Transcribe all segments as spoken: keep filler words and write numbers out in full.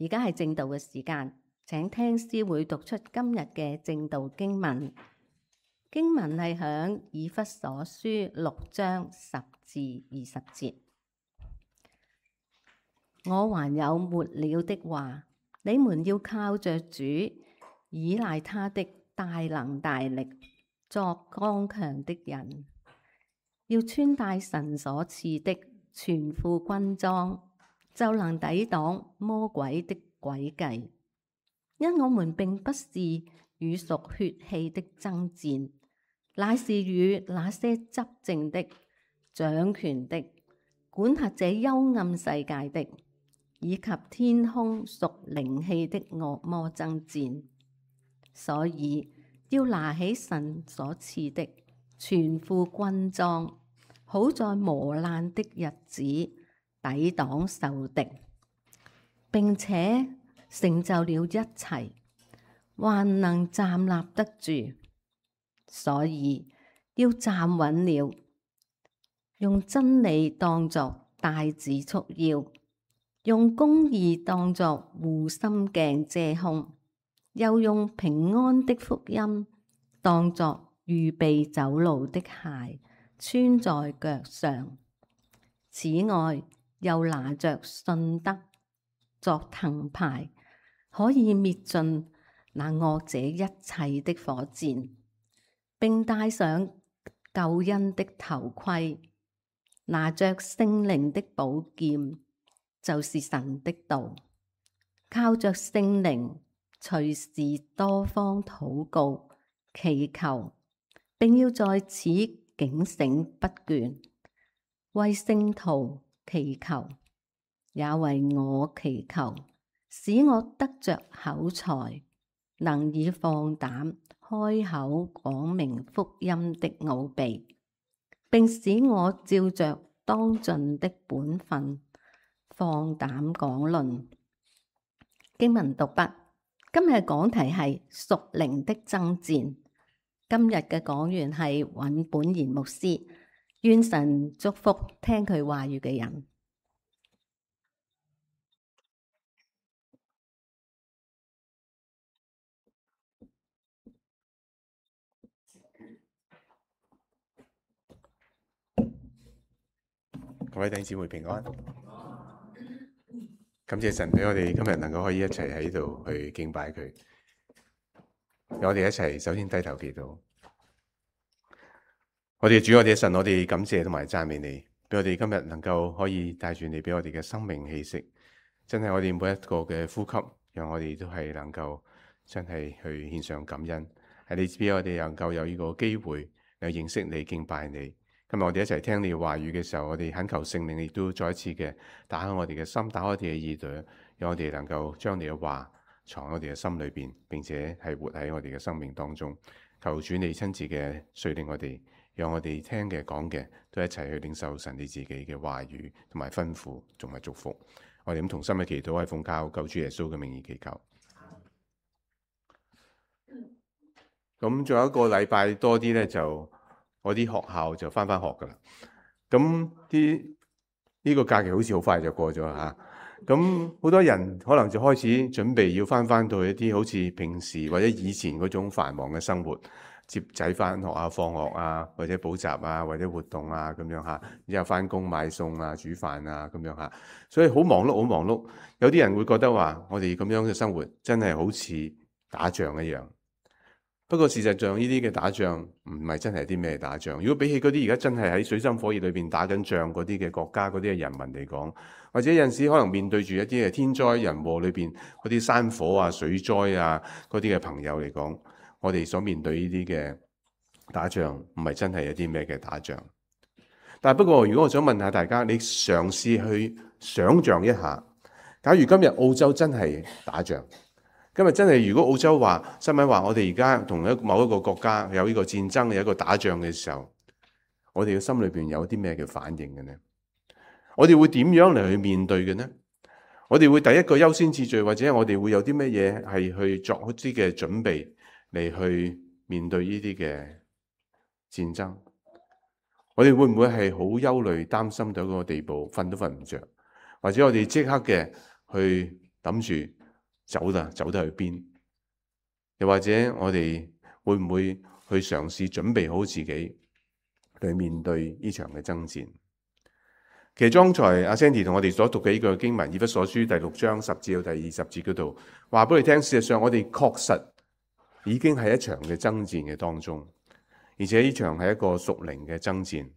而家係正道嘅時間，請聽師會讀出今日嘅正道經文。經文係響以弗所書六章十至二十節。我還有末了的話，你們要靠着主，倚賴他的大能大力，作剛強的人，要穿戴神所賜的全副軍裝，就能抵擋魔鬼的詭計。因我們並不是與屬血氣的爭戰，乃是與那些執政的、掌權的、管轄這幽暗世界的，以及天空屬靈氣的惡魔爭戰。所以要拿起神所賜的全副軍裝，好在磨難的日子抵擋仇敵，並且成就了一切，還能站立得住。所以要站穩了，用真理當作帶子束腰，用公義當作護心鏡遮胸，又用平安的福音當作預備走路的鞋穿在腳上。此外，又拿着信德作藤牌，可以滅盡那惡者一切的火箭，並戴上救恩的頭盔，拿着聖靈的寶劍，就是神的道，靠着聖靈隨時多方禱告祈求，並要在此警醒不倦，為聖徒祈求，也為我祈求，使我得着口才，能以放膽開口講明福音的奧秘，並使我照着當盡的本分放膽講論。經文讀畢。今日講題係屬靈的爭戰。今日嘅講員係尹本賢牧師，願神祝福聽佢話語嘅人。各位弟兄姊妹平安，感謝神俾我哋今日能夠可以一齊喺度去敬拜佢。我哋一齊首先低頭祈禱。我哋主，我哋嘅神，我哋感謝同埋讚美你，俾我哋今日能夠可以帶住你俾我哋嘅生命氣息，真係我哋每一個嘅呼吸，讓我哋都係能夠真係去獻上感恩。係你俾我哋能夠有呢個機會嚟認識你、敬拜你。今日我哋一齊聽你話語嘅時候，我哋懇求聖靈亦都再一次嘅打開我哋嘅心，打開我哋嘅耳朵，讓我哋能夠將你嘅話藏喺我哋嘅心裏邊，並且係活喺我哋嘅生命當中。求主你親自嘅率領我哋，讓我哋聽嘅講嘅都一齊去領受神你自己嘅話語同埋吩咐同埋祝福。我哋咁同心嘅祈禱係奉靠救主耶穌嘅名義祈求。咁仲有一個禮拜多啲咧，就我啲學校就翻翻學噶啦。咁啲呢個假期好似好快就過咗吓。咁好多人可能就開始準備要翻翻到一啲好似平時或者以前嗰種繁忙嘅生活，接仔翻學啊、放學啊，或者補習啊，或者活動啊咁樣吓。之後翻工買餸啊、煮飯啊咁樣吓。所以好忙碌，好忙碌。有啲人會覺得話，我哋咁樣嘅生活真係好似打仗一樣。不過事實上呢啲嘅打仗唔係真係啲咩打仗。如果比起嗰啲而家真係喺水深火熱裏邊打緊仗嗰啲嘅國家嗰啲嘅人民嚟講，或者有陣時可能面對住一啲嘅天災人禍裏邊嗰啲山火啊、水災啊嗰啲嘅朋友嚟講，我哋所面對呢啲嘅打仗唔係真係一啲咩嘅打仗。但係不過如果我想問下大家，你嘗試去想像一下，假如今日澳洲真係打仗，今日真係如果澳洲話新聞話我哋而家同一某一個國家有呢個戰爭，有一個打仗嘅時候，我哋嘅心裏邊有啲咩嘅反應嘅呢？我哋會點樣嚟去面對嘅呢？我哋會第一個優先次序，或者我哋會有啲咩嘢係去作一啲嘅準備嚟去面對呢啲嘅戰爭？我哋會唔會係好憂慮、擔心到嗰個地步，瞓都瞓唔着？或者我哋即刻嘅去諗住走啦，走得去邊？又或者我哋會唔會去嘗試準備好自己去面對呢場嘅爭戰？其實剛才阿 Sandy 同我哋所讀嘅呢個經文，以弗所書第六章十至到第二十節嗰度，話俾你聽，事實上我哋確實已經係一場嘅爭戰嘅當中，而且呢場係一個屬靈嘅爭戰。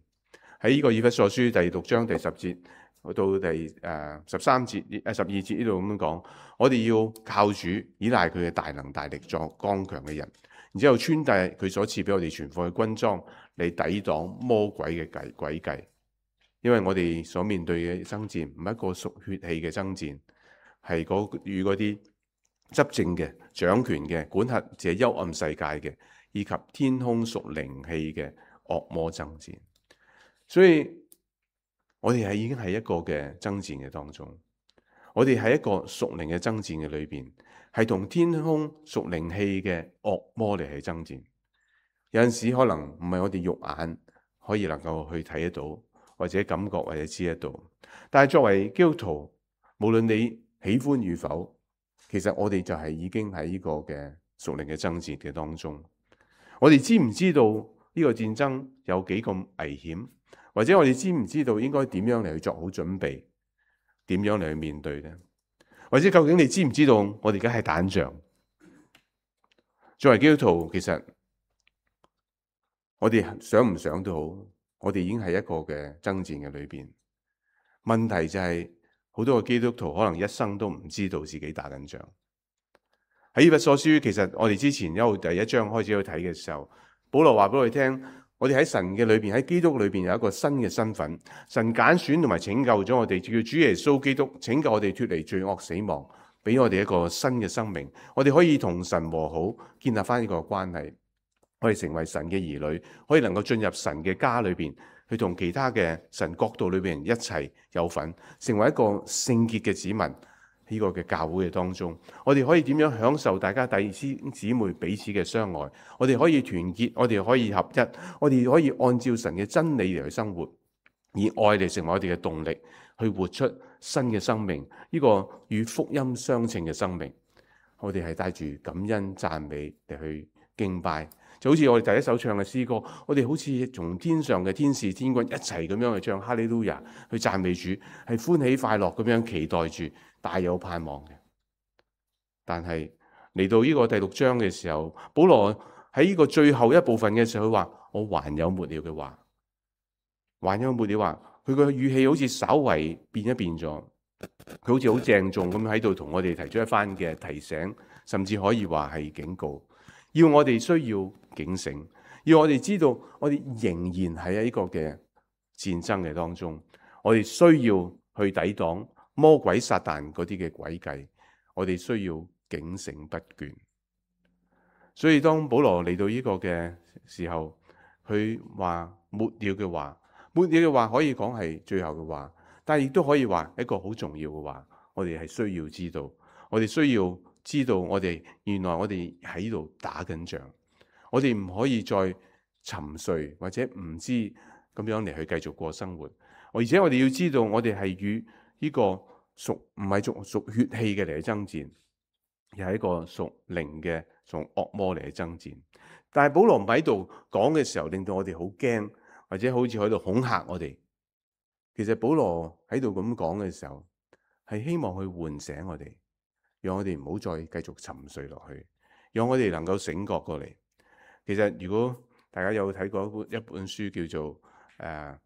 喺呢個以弗所書第六章第十節到第誒十三節誒十二節呢度咁樣講，我哋要靠主，依賴佢嘅大能大力作剛強嘅人，然之後穿戴佢所賜俾我哋全副嘅軍裝嚟抵擋魔鬼嘅計詭計。因為我哋所面對嘅爭戰唔係一個屬血氣嘅爭戰，係嗰與嗰啲執政嘅、掌權嘅、管轄這幽暗世界嘅，以及天空屬靈氣嘅惡魔爭戰。所以我哋係已經係一個嘅爭戰嘅當中，我哋喺一個屬靈嘅爭戰嘅裏邊，係同天空屬靈氣嘅惡魔嚟去爭戰。有陣時可能唔係我哋肉眼可以能夠去睇得到，或者感覺或者知得到，但係作為基督徒，無論你喜歡與否，其實我哋就係已經喺呢個嘅屬靈嘅爭戰嘅當中。我哋知唔知道呢個戰爭有幾咁危險？或者我哋知唔知道應該點樣嚟去作好準備？點樣嚟去面對呢？或者究竟你知唔知道我哋而家係打仗？作為基督徒，其實我哋想唔想都好，我哋已經係一個嘅爭戰嘅裏邊。問題就係、是、好多個基督徒可能一生都唔知道自己打緊仗。喺以弗所書，其實我哋之前一路第一章開始去睇嘅時候，保羅話俾我哋聽，我哋喺神嘅裏邊，喺基督裏邊有一個新嘅身份。神揀選同埋拯救咗我哋，叫主耶穌基督拯救我哋脫離罪惡死亡，俾我哋一個新嘅生命。我哋可以同神和好，建立翻呢個關係。可以成為神嘅兒女，可以能夠進入神嘅家裏邊，去同其他嘅神國度裏邊人一齊有份，成為一個聖潔嘅子民。呢個嘅教會嘅當中，我哋可以點樣享受大家弟兄姊妹彼此嘅相愛？我哋可以團結，我哋可以合一，我哋可以按照神嘅真理嚟去生活，以愛嚟成為我哋嘅動力，去活出新嘅生命。呢個與福音相稱嘅生命，我哋係帶住感恩讚美嚟去敬拜。就好似我哋第一首唱嘅詩歌，我哋好似從天上嘅天使天軍一齊咁樣去唱哈利路亞，去讚美主，係歡喜快樂咁樣期待住，大有盼望嘅。但係嚟到呢個第六章嘅時候，保羅喺呢個最後一部分嘅時候，佢話我還有末了嘅話，還有末了話，佢個語氣好似稍為變一變咗，佢好似好鄭重咁喺度同我哋提出一番嘅提醒，甚至可以話係警告。要我哋需要警醒，要我哋知道我哋仍然喺呢個嘅戰爭嘅當中，我哋需要去抵擋魔鬼撒旦嗰啲嘅詭計，我哋需要警醒不倦。所以當保羅嚟到呢個嘅時候，佢話末了嘅話，末了嘅話可以講係最後嘅話，但係亦都可以話一個好重要嘅話，我哋係需要知道，我哋需要知道我哋原來我哋喺度打緊仗，我哋唔可以再沉睡或者唔知咁樣嚟去繼續過生活。而且我哋要知道我哋係與呢個屬唔係屬屬血氣嘅嚟去爭戰，而係一個屬靈嘅從惡魔嚟去爭戰。但係保羅唔喺度講嘅時候，令到我哋好驚，或者好似喺度恐嚇我哋。其實保羅喺度咁講嘅時候，係希望去喚醒我哋，讓我哋唔好再繼續沉睡落去，讓我哋能夠醒覺過嚟。其實如果大家有睇過一本一本書叫做誒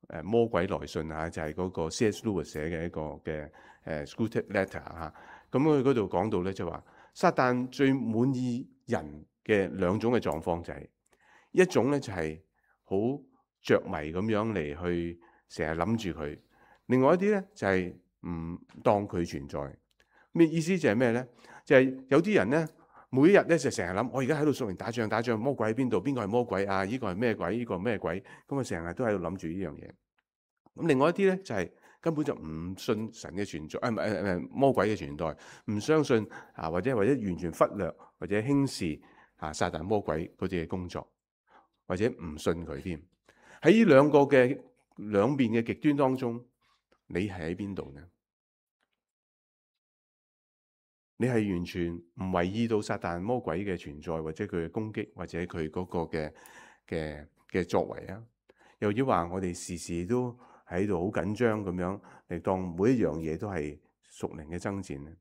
誒魔鬼來信嚇，就係、是、嗰個 C S Lewis 寫嘅一個嘅誒 Sculpted Letter 嚇。咁佢嗰度講到咧，就話撒旦最滿意人嘅兩種嘅狀況就係、是、一種咧就係好着迷咁樣嚟去成日諗住佢，另外一啲咧就係、是、唔當佢存在。咩意思就係咩咧？就係、是、有啲人咧，每一日咧就成日諗，我而家喺度屬靈打仗，打仗魔鬼喺邊度？邊個係魔鬼啊？呢、這個係咩鬼？呢、這個係咩鬼？咁啊成日都喺度諗住呢樣嘢。咁另外一啲咧就係、是、根本就唔信神嘅存在，誒唔係誒魔鬼嘅存在，唔相信啊，或者或者完全忽略或者輕視啊撒旦魔鬼嗰啲嘅工作，或者唔信佢添。喺呢兩個嘅兩邊嘅極端當中，你係喺邊度呢？你係完全唔為意到撒旦魔鬼嘅存在，或者佢嘅攻擊，或者佢嗰個嘅嘅嘅作為啊？又要話我哋時時都喺度好緊張咁樣嚟當每一樣嘢都係屬靈嘅爭戰咧？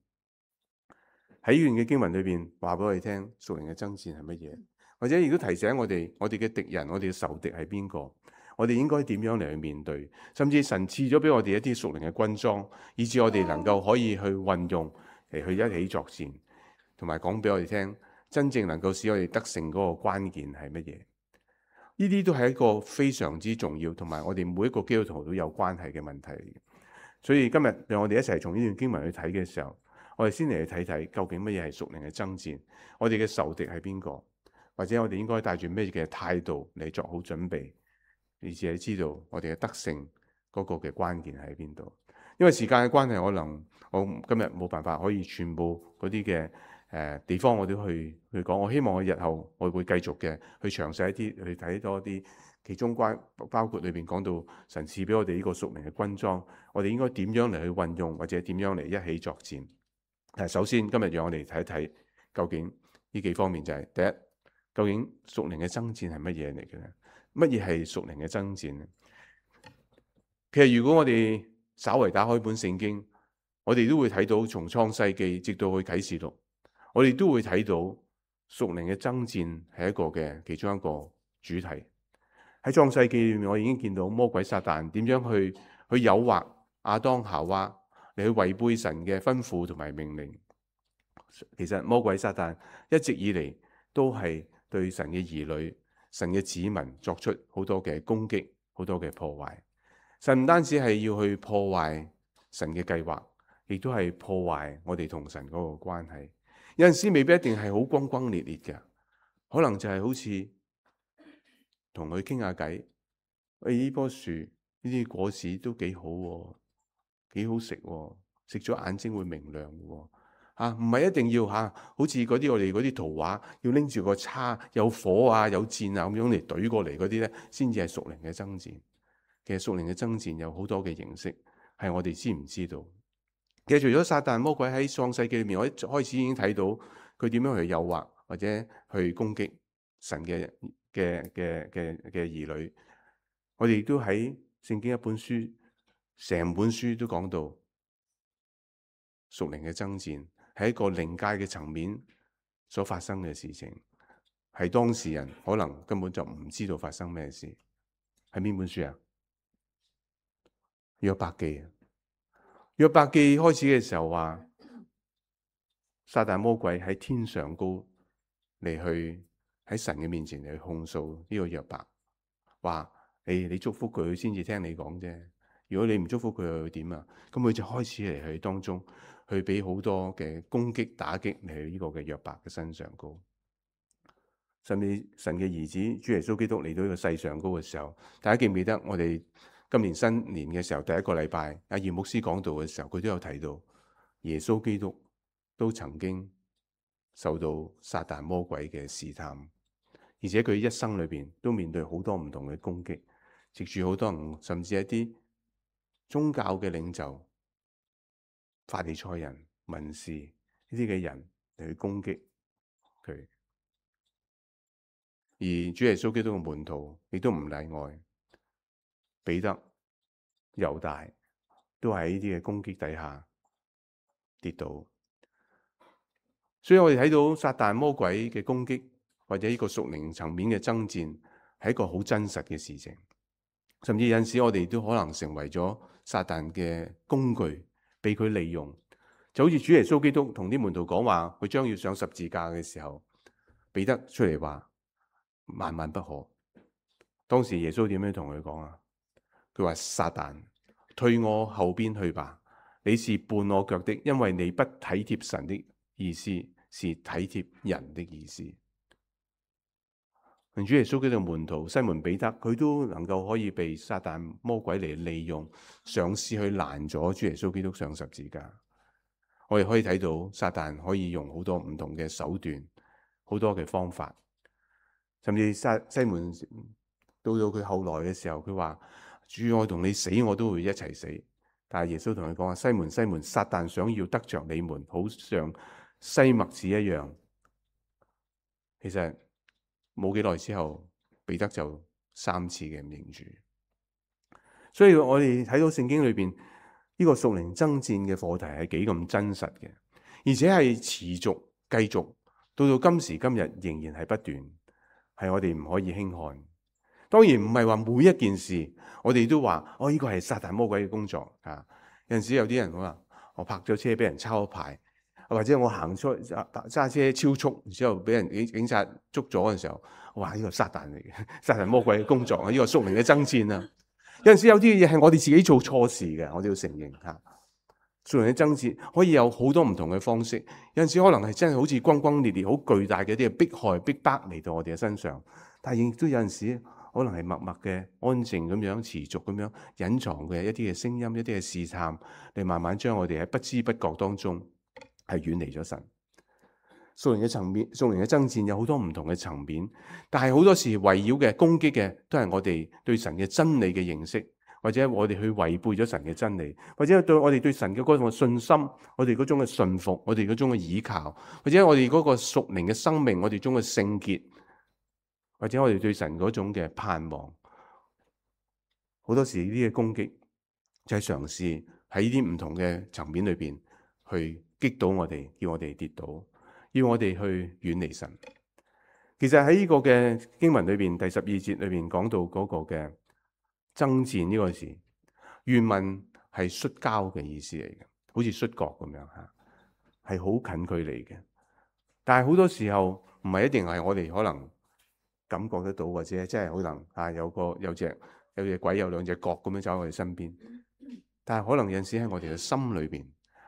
喺呢段嘅經文裏邊話俾我哋聽，屬靈嘅爭戰係乜嘢？或者亦都提醒我哋，我哋嘅敵人，我哋嘅仇敵係邊個？我哋應該點樣嚟去面對？甚至神賜咗俾我哋一啲屬靈嘅軍裝，以致我哋能夠可以去運用嚟去一起作戰，同埋講俾我哋聽，真正能夠使我哋得勝嗰個關鍵係乜嘢？呢啲都係一個非常之重要，同埋我哋每一個基督徒都有關係嘅問題嚟嘅。所以今日讓我哋一齊從呢段經文去睇嘅時候，我哋先嚟去睇睇究竟乜嘢係屬靈嘅爭戰，我哋嘅仇敵係邊個，或者我哋應該帶住咩嘅態度嚟作好準備，以至係知道我哋嘅得勝嗰個嘅關鍵喺邊度。因為時間嘅關係，可能我今日冇辦法可以全部嗰啲嘅誒地方我都去去講。我希望我日後我會繼續嘅去詳細一啲去睇多啲，其中關包括裏邊講到神賜俾我哋呢個屬靈嘅軍裝，我哋應該點樣嚟去運用，或者點樣嚟一起作戰。但係首先今日讓我哋睇一睇究竟呢幾方面，就係第一，究竟屬靈嘅爭戰係乜嘢嚟嘅咧？乜嘢係屬靈嘅爭戰咧？其實如果我哋稍為打開本聖經，我哋都會睇到從創世記直到去啟示錄，我哋都會睇到屬靈嘅爭戰係一個嘅其中一個主題。喺創世記裏面，我已經見到魔鬼撒旦點樣去去誘惑亞當夏娃嚟去違背神嘅吩咐同埋命令。其實魔鬼撒旦一直以嚟都係對神嘅兒女、神嘅子民作出好多嘅攻擊、好多嘅破壞。神唔單止係要去破壞神嘅計劃，亦都係破壞我哋同神嗰個關係。有陣時未必一定係好轟轟烈烈嘅，可能就係好似同佢傾下偈。喂，呢棵樹呢啲果子都幾好喎，幾好食喎，食咗眼睛會明亮喎。啊，唔係一定要嚇、啊，好似嗰啲我哋嗰啲圖畫，要拎住個叉，有火啊，有箭啊咁樣嚟懟過嚟嗰啲咧，先至係屬靈嘅爭戰。其實屬靈嘅爭戰有好多嘅形式，係我哋知唔知道？其實除咗撒旦魔鬼喺創世記裏面，我一開始已經睇到佢點樣去誘惑或者去攻擊神嘅嘅嘅嘅嘅兒女。我哋亦都喺聖經一本書，成本書都講到屬靈嘅爭戰係一個靈界嘅層面所發生嘅事情，係當事人可能根本就唔知道發生咩事。係邊本書啊？約伯記。約伯記開始嘅時候話，撒旦魔鬼喺天上高嚟去喺神嘅面前嚟去控訴呢個約伯，話你你祝福佢先至聽你講啫。如果你唔祝福佢，又會點啊？咁佢就開始嚟去當中去俾好多嘅攻擊打擊嚟去呢個嘅約伯嘅身上高。甚至神嘅兒子主耶穌基督嚟到呢個世上高嘅時候，大家記唔記得我哋今年新年嘅時候第一個禮拜阿葉牧師講道嘅時候，佢都有提到耶穌基督都曾經受到撒旦魔鬼嘅試探，而且佢一生裏邊都面對好多唔同嘅攻擊，藉住好多人甚至一啲宗教嘅領袖、法利賽人、文士呢啲嘅人嚟去攻擊佢。而主耶穌基督嘅門徒亦都唔例外，彼得、猶大都喺呢啲嘅攻擊底下跌倒。所以我哋睇到撒旦魔鬼嘅攻擊，或者呢個屬靈層面嘅爭戰，係一個好真實嘅事情。甚至有陣時我哋都可能成為咗撒旦嘅工具，被佢利用。就好似主耶穌基督同啲門徒講話，佢將要上十字架嘅時候，彼得出嚟話萬萬不可。當時耶穌點樣同佢講啊？佢話撒旦，退我後邊去吧，你是絆我腳的，因為你不體貼神的意思，是體貼人的意思。主耶穌基督嘅門徒西門彼得，佢都能夠可以被撒旦魔鬼嚟利用，嘗試去攔阻主耶穌基督上十字架。我哋可以睇到撒旦可以用好多唔同嘅手段，好多嘅方法。甚至西西門到到佢後來嘅時候，佢話主，我同你死我都會一齊死。但係耶穌同佢講話，西門西門，撒旦想要得着你們，好像西麥子一樣。其實冇幾耐之後，彼得就三次嘅唔認主。所以我哋睇到聖經裏邊呢個屬靈爭戰嘅課題係幾咁真實嘅，而且係持續繼續到到今時今日仍然係不斷，係我哋唔可以輕看。當然唔係話每一件事我哋都話哦，呢個係撒旦魔鬼嘅工作啊。有陣時有啲人話我泊咗車俾人抄牌，或者我行出揸車超速，然之後俾人警警察捉咗嘅時候，我話呢個撒旦嚟嘅，撒旦魔鬼嘅工作啊，呢個屬靈嘅爭戰啊。有陣時有啲嘢係我哋自己做錯事嘅，我哋要承認吓。屬靈嘅爭戰可以有好多唔同嘅方式，有陣時可能係真係好似轟轟烈烈、好巨大嘅一啲迫害、逼迫嚟到我哋嘅身上，但係亦都有陣時可能係默默嘅、安靜咁樣、持續咁樣隱藏嘅一啲嘅聲音、一啲嘅試探，嚟慢慢將我哋喺不知不覺當中係遠離咗神。屬靈嘅層面、屬靈嘅爭戰有好多唔同嘅層面，但係好多時圍繞嘅攻擊嘅都係我哋對神嘅真理嘅認識，或者我哋去違背咗神嘅真理，或者對我哋對神嘅嗰種信心，我哋嗰種嘅信服，我哋嗰種嘅倚靠，或者我哋嗰個屬靈嘅生命，我哋中嘅聖潔，或者我哋對神嗰種嘅盼望。好多時呢啲嘅攻擊就係嘗試喺呢啲唔同嘅層面裏邊去擊倒我哋，叫我哋跌倒，要我哋去遠離神。其實喺呢個嘅經文裏邊，第十二節裏邊講到嗰個嘅爭戰呢個字，原文係摔跤嘅意思嚟嘅，好似摔角咁樣吓，係好近距離嘅。但係好多時候唔係一定係我哋可能感覺得到，或者真係可能啊有個有隻有隻鬼有兩隻角咁樣走喺我哋身邊。但係可能有陣時喺我哋嘅心裏邊，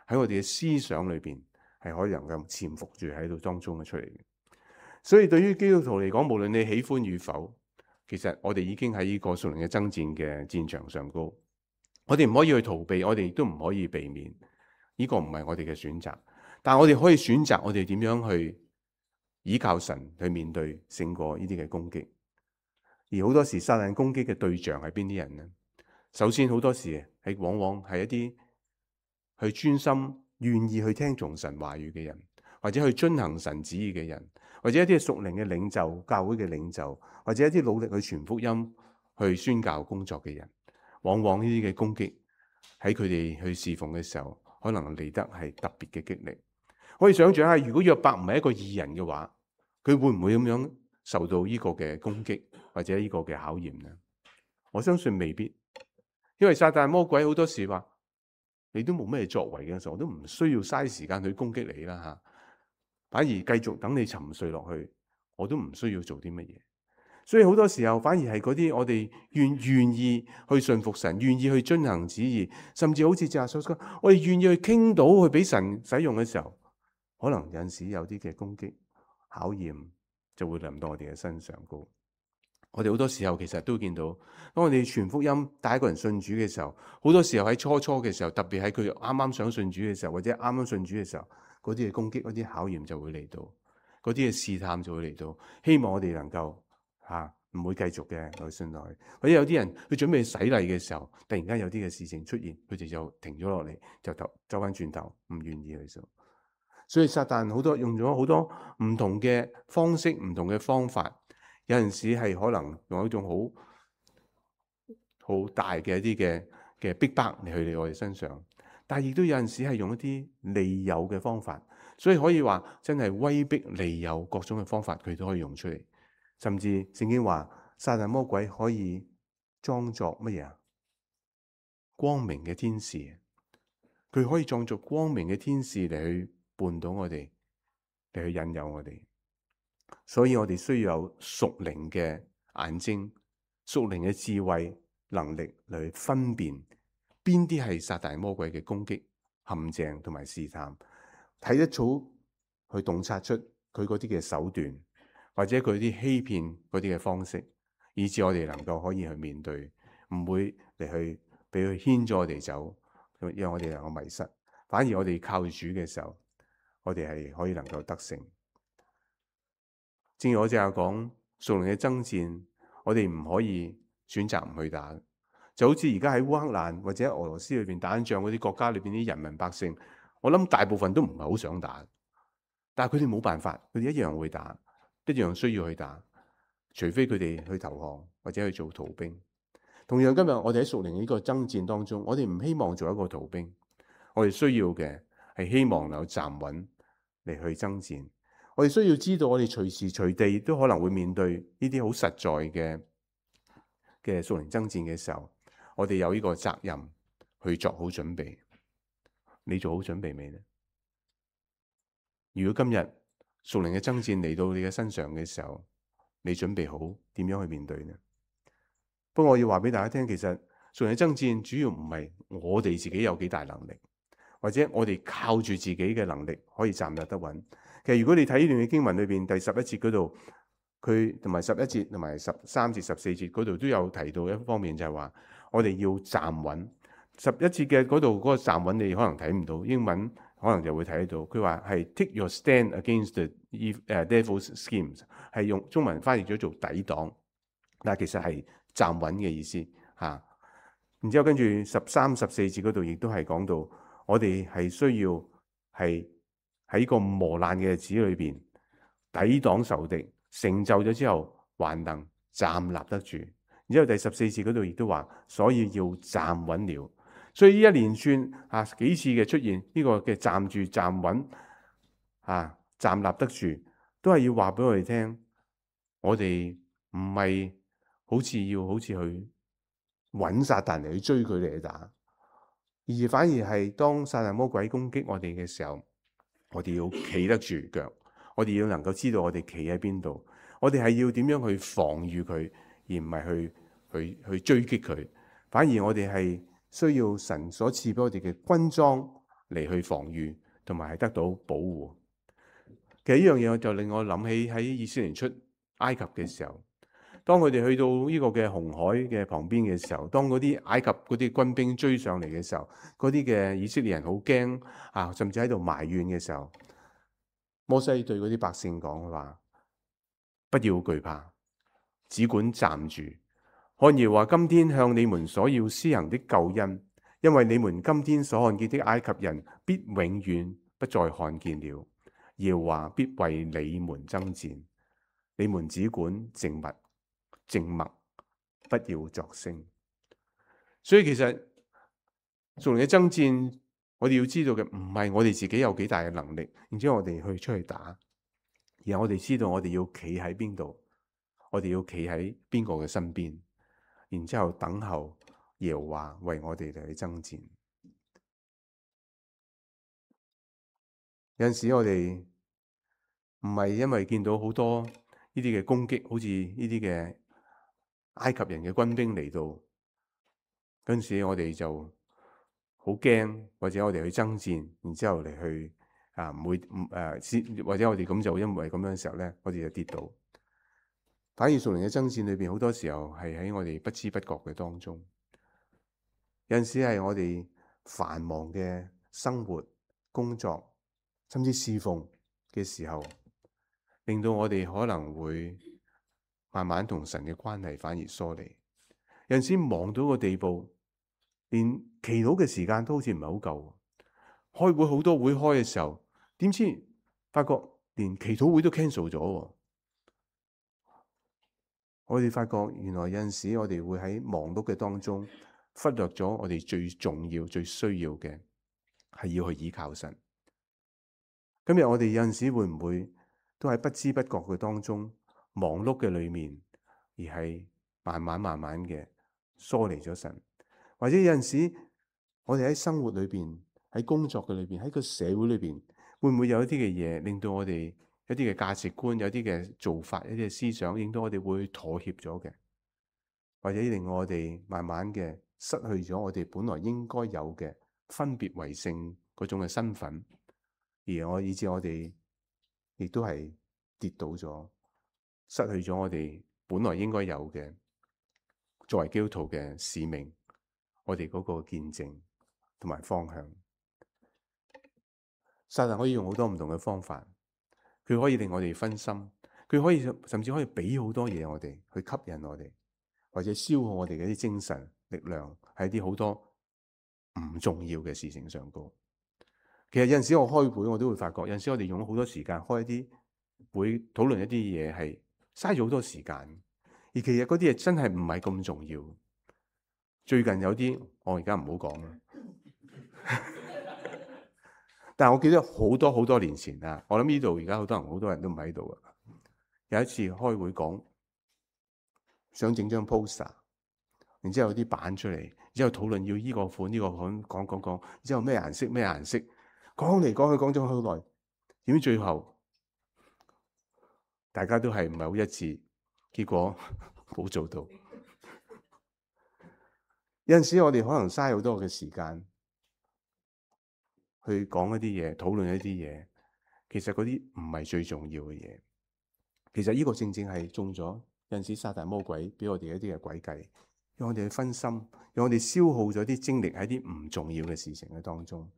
喺我哋嘅思想裏邊，係可以能夠潛伏住喺度當中嘅出嚟嘅。所以對於基督徒嚟講，無論你喜歡與否，其實我哋已經喺呢個屬靈嘅爭戰嘅戰場上高。我哋唔可以去逃避，我哋亦都唔可以避免。呢個唔係我哋嘅選擇，但係我哋可以選擇我哋點樣去依靠神去面對勝過呢啲嘅攻擊。而好多時撒旦攻擊嘅對象係邊啲人呢？首先好多時係往往係一啲去專心願意去聽從神話語嘅人，或者去遵行神旨意嘅人，或者一啲屬靈嘅領袖、教會嘅領袖，或者一啲努力去傳福音、去宣教工作嘅人。往往呢啲嘅攻擊喺佢哋去侍奉嘅時候，可能嚟得係特別嘅激勵。可以想象下，如果約伯唔係一個義人嘅話，佢會唔會咁樣受到呢個嘅攻擊或者呢個嘅考驗呢？我相信未必，因為撒旦魔鬼好多時話你都冇咩作為嘅時候，我都唔需要嘥時間去攻擊你啦吓，反而繼續等你沉睡落去，我都唔需要做啲乜嘢。所以好多時候反而係嗰啲我哋願願意去信服神，願意去遵行旨意，甚至好似正話所講，我哋願意去傾倒去俾神使用嘅時候，可能有陣時有啲嘅攻擊考驗就會臨到我哋嘅身上高。我哋好多時候其實都見到，當我哋傳福音帶一個人信主嘅時候，好多時候喺初初嘅時候，特別喺佢啱啱想信主嘅時候，或者啱啱信主嘅時候，嗰啲嘅攻擊、嗰啲考驗就會嚟到，嗰啲嘅試探就會嚟到，希望我哋能夠吓唔會繼續嘅去信落去。或者有啲人佢準備洗禮嘅時候，突然間有啲嘅事情出現，佢哋就停咗落嚟，就走走翻轉頭，唔願意去做。所以撒旦好多用咗好多唔同嘅方式、唔同嘅方法。有陣時係可能用一種好好大嘅一啲嘅嘅逼迫嚟去嚟我哋身上，但係亦都有陣時係用一啲利誘嘅方法，所以可以話真係威逼利誘各種嘅方法，佢都可以用出嚟。甚至聖經話撒旦魔鬼可以裝作乜嘢啊？光明嘅天使，佢可以裝作光明嘅天使嚟去絆倒我哋，嚟去引誘我哋。所以我哋需要有屬靈嘅眼睛、屬靈嘅智慧能力嚟分辨邊啲係撒旦魔鬼嘅攻擊、陷阱同埋試探，睇得早去洞察出佢嗰啲嘅手段，或者佢啲欺騙嗰啲嘅方式，以致我哋能夠可以去面對，唔會嚟去俾佢牽咗我哋走，讓我哋能夠迷失。反而我哋靠主嘅時候，我哋係可以能夠得勝。正如我正話講，屬靈嘅爭戰，我哋唔可以選擇唔去打。就好似而家喺烏克蘭或者俄羅斯裏邊打緊仗嗰啲國家裏邊啲人民百姓，我諗大部分都唔係好想打。但係佢哋冇辦法，佢哋一樣會打，一樣需要去打，除非佢哋去投降或者去做逃兵。同樣今日我哋喺屬靈呢個爭戰當中，我哋唔希望做一個逃兵，我哋需要嘅係希望能夠站穩嚟去爭戰。我哋需要知道，我哋隨時隨地都可能會面對呢啲好實在嘅嘅屬靈爭戰嘅時候，我哋有呢個責任去做好準備。你做好準備未呢？如果今日屬靈嘅爭戰嚟到你嘅身上嘅時候，你準備好點樣去面對呢？不過我要話俾大家聽，其實屬靈嘅爭戰主要唔係我哋自己有幾大能力，或者我哋靠住自己嘅能力可以站立得穩。其實如果你睇呢段嘅經文裏邊第十一節嗰度，佢同埋十一節同埋十三節、十四節嗰度都有提到一方面，就係話我哋要站穩。十一節嘅嗰度嗰個站穩，你可能睇唔到，英文可能就會睇得到。佢話係 take your stand against the devil's schemes， 係用中文翻譯咗做抵擋，但係其實係站穩嘅意思嚇。然之後跟住十三、十四節嗰度亦都係講到，我哋係需要係喺個磨難嘅日子裏邊抵擋仇敵，成就咗之後還能站立得住。然之後第十四節嗰度亦都話，所以要站穩了。所以呢一連串啊幾次嘅出現，呢、這個嘅站住站穩啊站立得住，都係要話俾我哋聽，我哋唔係好似要好似去揾撒旦嚟去追佢嚟去打，而反而係當撒旦魔鬼攻擊我哋嘅時候，我哋要企得住腳，我哋要能夠知道我哋企喺邊度，我哋係要點樣去防禦佢，而唔係去去去追擊佢。反而我哋係需要神所賜俾我哋嘅軍裝嚟去防禦，同埋係得到保護。其實呢樣嘢就令我諗起喺以色列出埃及嘅時候，當佢哋去到呢個嘅紅海嘅旁邊嘅時候，當嗰啲埃及嗰啲軍兵追上嚟嘅時候，嗰啲嘅以色列人好驚啊，甚至喺度埋怨嘅時候，摩西對嗰啲百姓講話：不要懼怕，只管站住。看耶和華今天向你們所要施行的救恩，因為你們今天所看見的埃及人，必永遠不再看見了。耶和華必為你們爭戰，你們只管靜默，靜默，不要作聲。所以其實屬靈嘅爭戰，我哋要知道嘅唔係我哋自己有幾大嘅能力，然之後我哋去出去打，而係我哋知道我哋要企喺邊度，我哋要企喺邊個嘅身邊。然之後等候耶和華為我哋嚟去爭戰。有陣時我哋唔係因為見到好多呢啲嘅攻擊，好似呢啲嘅埃及人嘅軍兵嚟到，嗰陣時我哋就好驚，或者我哋去爭戰，然之後嚟去啊唔會唔誒，或者我哋咁就因為咁樣嘅時候咧，我哋就跌倒。反而屬靈嘅爭戰裏邊，好多時候係喺我哋不知不覺嘅當中。有陣時係我哋繁忙嘅生活、工作，甚至侍奉嘅時候，令到我哋可能會慢慢同神嘅關係反而疏離。有陣時忙到個地步，連祈禱嘅時間都好似唔係好夠。開會好多會開嘅時候，點知發覺連祈禱會都 cancel 咗。我哋發覺原來有陣時我哋會喺忙碌嘅當中忽略咗我哋最重要、最需要嘅係要去依靠神。今日我哋有陣時會唔會都喺不知不覺嘅當中忙碌嘅裏面，而係慢慢慢慢嘅疏離咗神？或者有陣時我哋喺生活裏邊、喺工作嘅裏邊、喺個社會裏邊，會唔會有一啲嘅嘢令到我哋一啲嘅價值觀、有啲嘅做法、一啲嘅思想，令到我哋會妥協咗嘅，或者令我哋慢慢嘅失去咗我哋本來應該有嘅分別為聖嗰種嘅身份，而我以致我哋亦都係跌倒咗，失去咗我哋本來應該有嘅作為基督徒嘅使命，我哋嗰個見證同埋方向。撒旦可以用好多唔同嘅方法。佢可以令我哋分心，佢可以甚至可以俾好多嘢我哋去吸引我哋，或者消耗我哋嘅啲精神力量喺啲好多唔重要嘅事情上高。其實有陣時我開會我都會發覺，有陣時我哋用咗好多時間開一啲會討論一啲嘢，係嘥咗好多時間，而其實嗰啲嘢真係唔係咁重要。最近有啲我而家唔好講啦，但係我記得好多好多年前啊，我諗呢度而家好多人好多人都唔喺度啊。有一次開會講，想整張 poster， 然之後有啲版出嚟，然之後討論要呢個款呢個款，講講講，然之後咩顏色咩顏色，講嚟講去講咗好耐，點知最後大家都係唔係好一致，結果冇做到。有陣時我哋可能嘥好多嘅時間去講一啲嘢，討論一啲嘢，其實嗰啲唔係最重要嘅嘢。其實呢個正正係中咗有陣時撒旦魔鬼俾我哋一啲嘅詭計，讓我哋去分心，讓我哋消耗咗啲精力喺啲唔重要嘅事情嘅當中。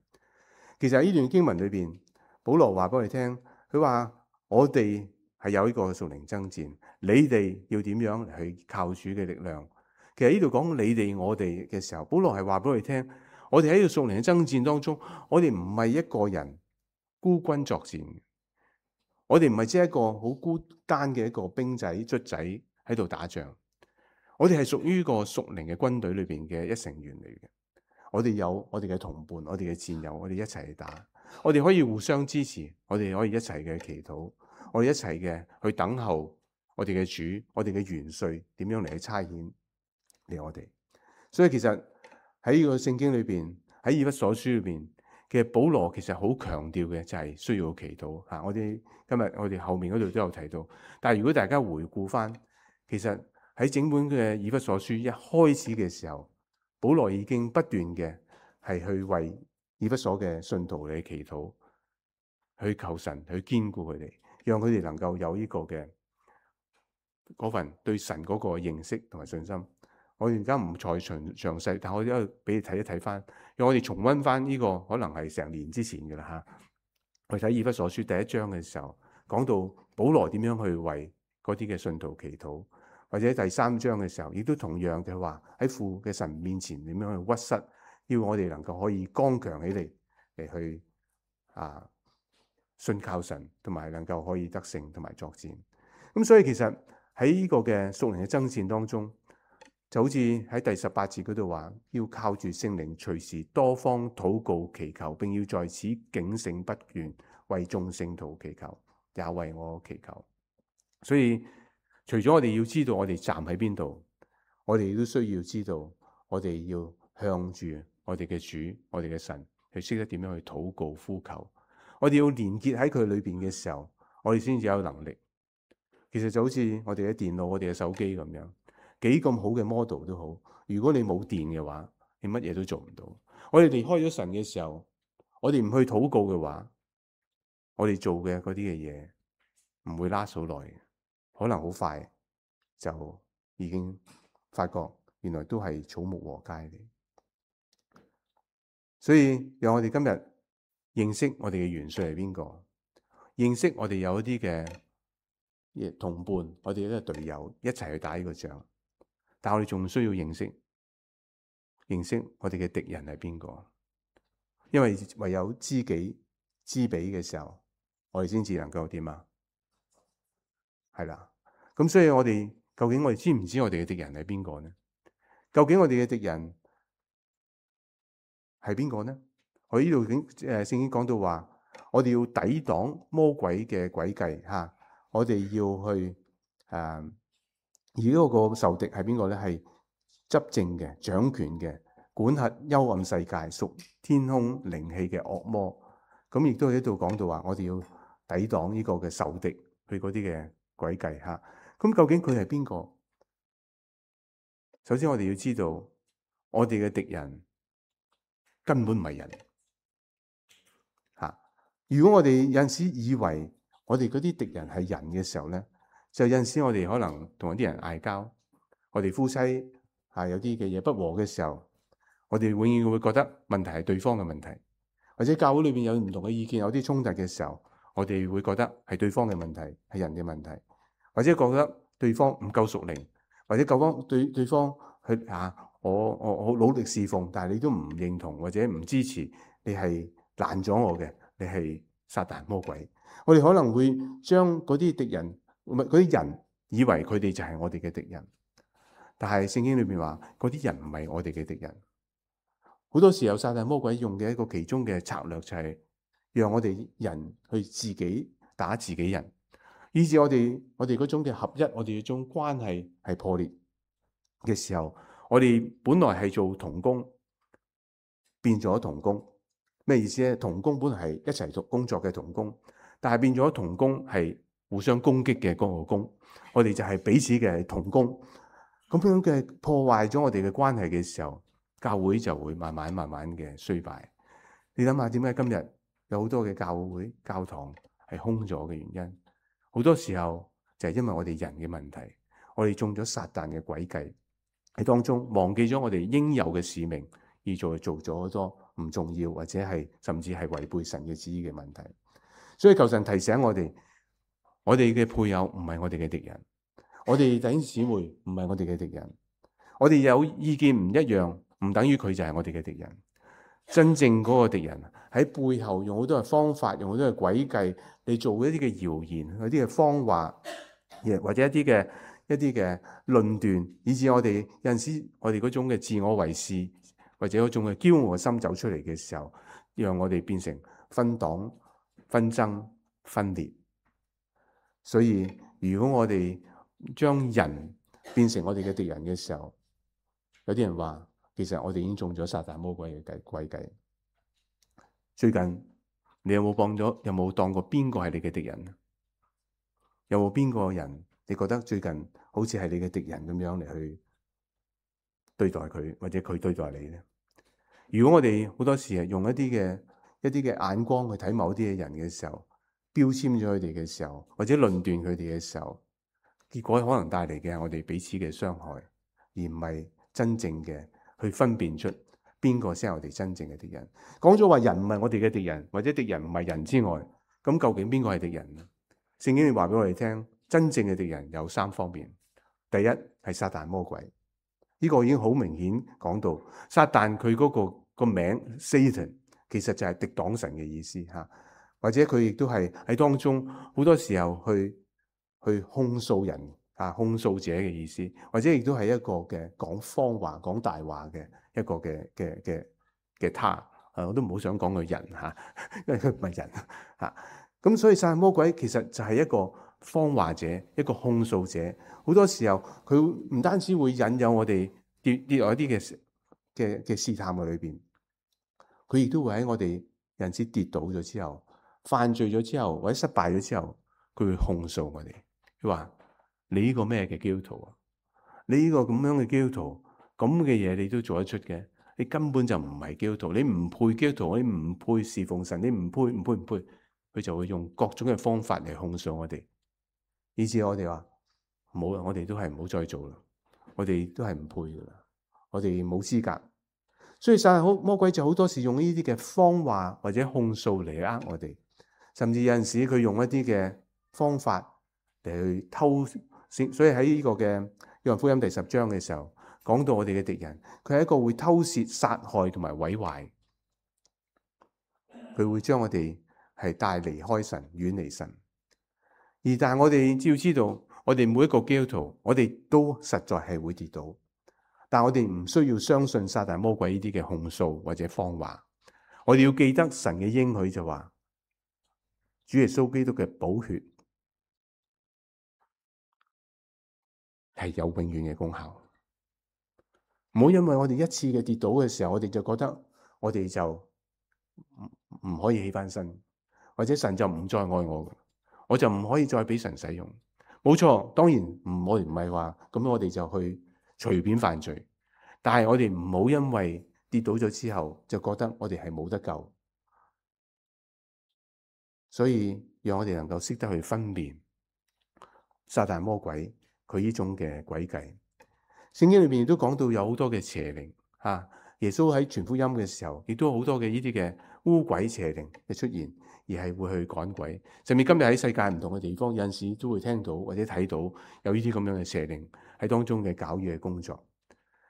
其實喺呢段經文裏邊，保羅話俾我哋聽，佢話我哋係有呢個屬靈爭戰，你哋要點樣去靠主嘅力量。其實呢度講你哋我哋嘅時候，保羅係話俾我哋聽，我哋喺呢個屬靈嘅爭戰當中，我哋唔係一個人孤軍作戰，我哋唔係只係一個好孤單嘅一個兵仔卒仔喺度打仗，我哋係屬於呢個屬靈嘅軍隊裏邊嘅一成員嚟嘅。我哋有我哋嘅同伴，我哋嘅戰友，我哋一齊去打，我哋可以互相支持，我哋可以一齊嘅祈禱，我哋一齊嘅去等候我哋嘅主，我哋嘅元帥點樣嚟去差遣嚟我哋。所以其實喺呢個聖經裏邊，喺以弗所書裏邊，其實保羅其實好強調嘅就係需要祈禱吓。我哋今日我哋後面嗰度都有提到，但係如果大家回顧翻，其實喺整本嘅以弗所書一開始嘅時候，保羅已經不斷嘅係去為以弗所嘅信徒嚟祈禱，去求神去堅固佢哋，讓佢哋能夠有呢個嘅嗰份對神嗰個認識同埋信心。我而家唔再詳詳細，但我都俾你睇一睇翻，讓我哋重溫翻呢個可能係成年之前嘅啦嚇。我睇以弗所書第一章嘅時候，講到保羅點樣去為嗰啲嘅信徒祈禱。或者第三章嘅時候，亦都同樣嘅話喺父嘅神面前點樣去屈膝，要我哋能夠可以剛強起嚟嚟去啊信靠神，同埋能夠可以得勝同埋作戰。咁所以其實喺呢個嘅屬靈嘅爭戰當中，就好似喺第十八節嗰度話，要靠住聖靈隨時多方禱告祈求，並要在此警醒不倦，為眾聖徒祈求，也為我祈求。所以除咗我哋要知道我哋站喺邊度，我哋都需要知道我哋要向住我哋嘅主、我哋嘅神，去識得點樣去禱告呼求。我哋要連結喺佢裏邊嘅時候，我哋先至有能力。其實就好似我哋嘅電腦、我哋嘅手機咁樣，幾咁好嘅 model 都好，如果你冇電嘅話，你乜嘢都做唔到。我哋離開咗神嘅時候，我哋唔去禱告嘅話，我哋做嘅嗰啲嘅嘢唔會 last 好耐。可能好快就已經發覺原來都係草木禾稭嚟。所以讓我哋今日認識我哋嘅元帥係邊個，認識我哋有一啲嘅同伴，我哋一個隊友一齊去打呢個仗。但我哋仲需要認識認識我哋嘅敵人係邊個，因為唯有知己知彼嘅時候，我哋先至能夠點啊？係啦，咁所以我哋究竟我哋知唔知我哋嘅敵人係邊個呢？究竟我哋嘅敵人係邊個呢？我呢度經誒聖經講到話，我哋要抵擋魔鬼嘅詭計吓，我哋要去誒、啊，而嗰個仇敵係邊個咧？係執政嘅、掌權嘅、管轄幽暗世界、屬天空靈氣嘅惡魔。咁亦都喺度講到話，我哋要抵擋呢個嘅仇敵，佢嗰啲嘅詭計吓。咁究竟佢係邊個？首先我哋要知道，我哋嘅敵人根本唔係人吓。如果我哋有陣時以為我哋嗰啲敵人係人嘅時候咧，就有陣時我哋可能同一啲人嗌交，我哋夫妻係有啲嘅嘢不和嘅時候，我哋永遠會覺得問題係對方嘅問題，或者教會裏邊有唔同嘅意見，有啲衝突嘅時候，我哋會覺得係對方嘅問題，係人嘅問題，或者覺得對方唔夠屬靈，或者對方對對方去啊，我我我努力侍奉，但係你都唔認同或者唔支持，你係攔咗我嘅，你係撒旦魔鬼。我哋可能會將嗰啲敵人，唔係嗰啲人，以為佢哋就係我哋嘅敵人。但係聖經裏邊話，嗰啲人唔係我哋嘅敵人。好多時候撒旦魔鬼用嘅一個其中嘅策略就係讓我哋人去自己打自己人，以致我哋我哋嗰種嘅合一，我哋嗰種關係係破裂嘅時候，我哋本來係做同工，變咗同工。咩意思咧？同工本來係一齊做工作嘅同工，但係變咗同工係互相攻擊嘅嗰個工。我哋就係彼此嘅同工，咁樣嘅破壞咗我哋嘅關係嘅時候，教會就會慢慢慢慢嘅衰敗。你諗下點解今日有好多嘅教會教堂係空咗嘅原因？好多時候就係因為我哋人嘅問題，我哋中咗撒旦嘅詭計喺當中，忘記咗我哋應有嘅使命，而做做咗好多唔重要或者係甚至係違背神嘅旨意嘅問題。所以求神提醒我哋，我哋嘅配偶唔係我哋嘅敵人，我哋弟兄姊妹唔係我哋嘅敵人。我哋有意見唔一樣，唔等於佢就係我哋嘅敵人。真正嗰個敵人喺背後用好多嘅方法，用好多嘅詭計嚟做一啲嘅謠言，一啲嘅謊話，或者一啲嘅一啲嘅論斷，以致我哋有陣時我哋嗰種嘅自我為是，或者嗰種嘅驕傲嘅心走出嚟嘅時候，讓我哋變成分黨、紛爭、分裂。所以如果我哋將人變成我哋嘅敵人嘅時候，有啲人話，其實我哋已經中咗撒旦魔鬼嘅詭計。最近你有冇幫咗？有冇當過邊個係你嘅敵人？有冇邊個人你覺得最近好似係你嘅敵人咁樣嚟去對待佢，或者佢對待你呢？如果我哋好多時係用一啲嘅一啲嘅眼光去睇某啲嘅人嘅時候，標籤咗佢哋嘅時候，或者論斷佢哋嘅時候，結果可能帶嚟嘅係我哋彼此嘅傷害，而唔係真正嘅去分辨出邊個先係我哋真正嘅敵人。講咗話人唔係我哋嘅敵人，或者敵人唔係人之外，咁究竟邊個係敵人呢？聖經話俾我哋聽，真正嘅敵人有三方面。第一係撒旦魔鬼，呢個已經好明顯講到，撒旦佢嗰個個名 Satan 其實就係敵擋神嘅意思吓，或者佢亦都係喺當中好多時候去去控訴人啊，控訴者嘅意思，或者亦都係一個嘅講謊話、講大話嘅一個嘅嘅嘅嘅他啊，我都唔好想講佢人吓，因為佢唔係人吓。咁所以撒旦魔鬼其實就係一個謊話者，一個控訴者。好多時候佢唔單止會引誘我哋跌跌落一啲嘅嘅嘅試探嘅裏邊，佢亦都會喺我哋有陣時跌倒咗之後、犯罪咗之後或者失敗咗之後，佢會控訴我哋。佢話：你呢個咩嘅基督徒啊？你呢個咁樣嘅基督徒，咁嘅嘢你都做得出嘅？你根本就唔係基督徒，你唔配基督徒，你唔配侍奉神，你唔配唔配唔配。佢就會用各種嘅方法嚟控訴我哋，以至我哋話冇啦，我哋都係唔好再做啦，我哋都係唔配噶啦，我哋冇資格。所以撒旦魔鬼就好多時用呢啲嘅謊話或者控訴嚟呃我哋，甚至有陣時佢用一啲嘅方法嚟去偷。所以喺呢個嘅約翰福音第十章嘅時候，講到我哋嘅敵人，佢係一個會偷竊、殺害同埋毀壞，佢會將我哋係帶離開神，遠離神。而但係我哋只要知道，我哋每一個基督徒，我哋都實在係會跌倒，但我哋唔需要相信撒旦魔鬼呢啲嘅控訴或者謊話。我哋要記得神嘅應許就話，主耶穌基督嘅寶血係有永遠嘅功效。唔好因為我哋一次嘅跌倒嘅時候，我哋就覺得我哋就唔唔可以起翻身。或者神就唔再愛我，我就唔可以再俾神使用。冇錯，當然唔，我哋唔係話咁，我哋就去隨便犯罪。但係我哋唔好因為跌倒咗之後，就覺得我哋係冇得救。所以讓我哋能夠識得去分辨撒旦魔鬼佢呢種嘅詭計。聖經裏面亦都講到有好多嘅邪靈吓，耶穌喺傳福音嘅時候，亦都好多嘅呢啲嘅污鬼邪靈嘅出現。而係會去趕鬼，甚至今日喺世界唔同嘅地方，有陣時都會聽到或者睇到有呢啲咁樣嘅邪靈喺當中嘅攪擾嘅工作。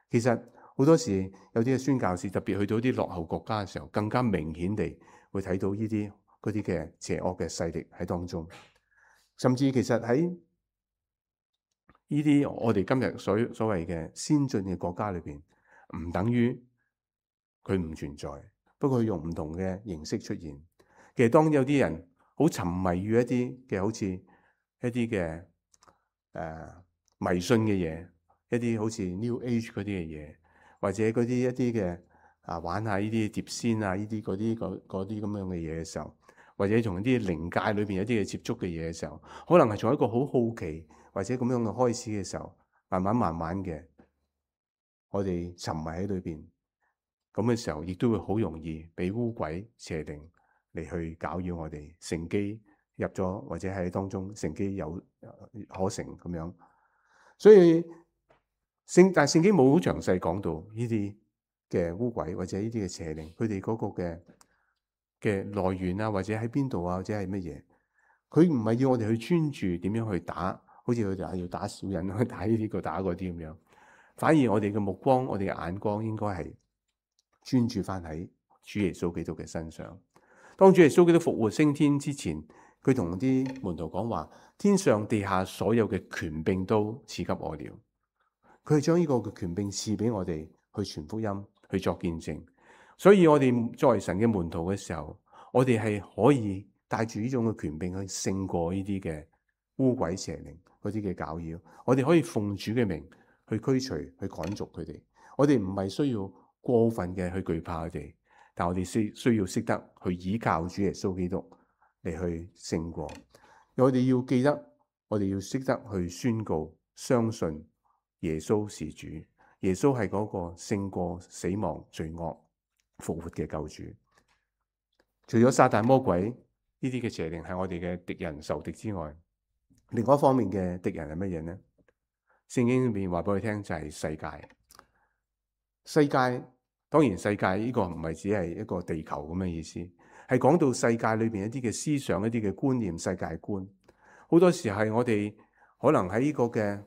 其實好多時有啲嘅宣教士特別去到啲落後國家嘅時候，更加明顯地會睇到呢啲嗰啲嘅邪惡嘅勢力喺當中。甚至其實喺呢啲我哋今日所所謂嘅先進嘅國家裏邊，唔等於佢唔存在，不過佢用唔同嘅形式出現。其實當有啲人好沉迷於一啲嘅好似一啲嘅誒迷信嘅嘢，一啲好似 New Age 嗰啲嘅嘢，或者嗰啲一啲嘅啊玩下呢啲碟仙啊呢啲嗰啲嗰啲咁樣嘅嘢嘅時候，或者從啲靈界裏邊有啲嘅接觸嘅嘢嘅時候，可能係從一個好好奇或者咁樣嘅開始嘅時候，慢慢慢慢嘅，我哋沉迷喺裏邊，咁嘅時候亦都會好容易俾污鬼邪靈嚟去攪擾我哋，乘機入咗或者喺當中乘機有可成咁樣。所以聖但聖經冇好詳細講到呢啲嘅污鬼或者呢啲嘅邪靈，佢哋嗰個嘅嘅來源啊，或者喺邊度啊，或者係乜嘢？佢唔係要我哋去專注點樣去打，好似佢哋要打小人去打呢啲個打嗰啲咁樣。反而我哋嘅目光，我哋嘅眼光應該係專注翻喺主耶穌基督嘅身上。當主耶穌基督復活升天之前，佢同啲門徒講話：天上地下所有嘅權柄都賜給我了。佢係將呢個嘅權柄賜俾我哋去傳福音，去作見證。所以我哋作為神嘅門徒嘅時候，我哋係可以帶住呢種嘅權柄去勝過呢啲嘅污鬼邪靈嗰啲嘅攪擾。我哋可以奉主嘅名去驅除、去趕逐佢哋。我哋唔係需要過分嘅去懼怕佢哋，但我哋需需要識得去依靠主耶穌基督嚟去勝過。我哋要記得，我哋要識得去宣告、相信耶穌是主。耶穌係嗰個勝過死亡、罪惡、復活嘅救主。除咗撒旦魔鬼呢啲嘅邪靈係我哋嘅敵人仇敵之外，另外一方面嘅敵人係乜嘢呢？聖經裏面話俾我哋聽就係世界。世界當然世界呢個唔係只係一個地球咁嘅意思，係講到世界裏邊一啲嘅思想、一啲嘅觀念、世界觀。好多時係我哋可能喺呢個嘅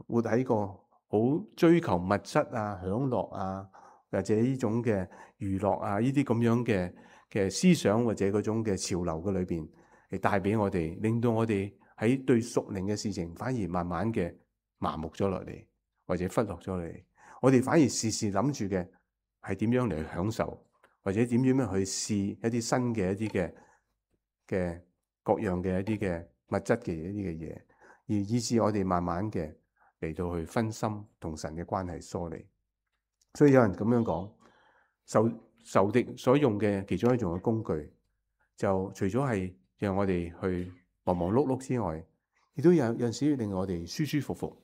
活喺個好追求物質啊、享樂啊，或者呢種嘅娛樂啊，呢啲咁樣嘅嘅思想或者嗰種嘅潮流嘅裏邊，係帶俾我哋，令到我哋喺對屬靈嘅事情反而慢慢嘅麻木咗落嚟，或者忽略咗落嚟。我哋反而時時諗住嘅係點樣嚟享受，或者點樣去試一啲新嘅一啲嘅嘅各樣嘅一啲嘅物質嘅一啲嘅嘢，而以致我哋慢慢嘅嚟到去分心同神嘅關係疏離。所以有人咁樣講，仇仇敵所用嘅其中一種嘅工具，就除咗係讓我哋去忙忙碌碌之外，亦都有有陣時令我哋舒舒服服。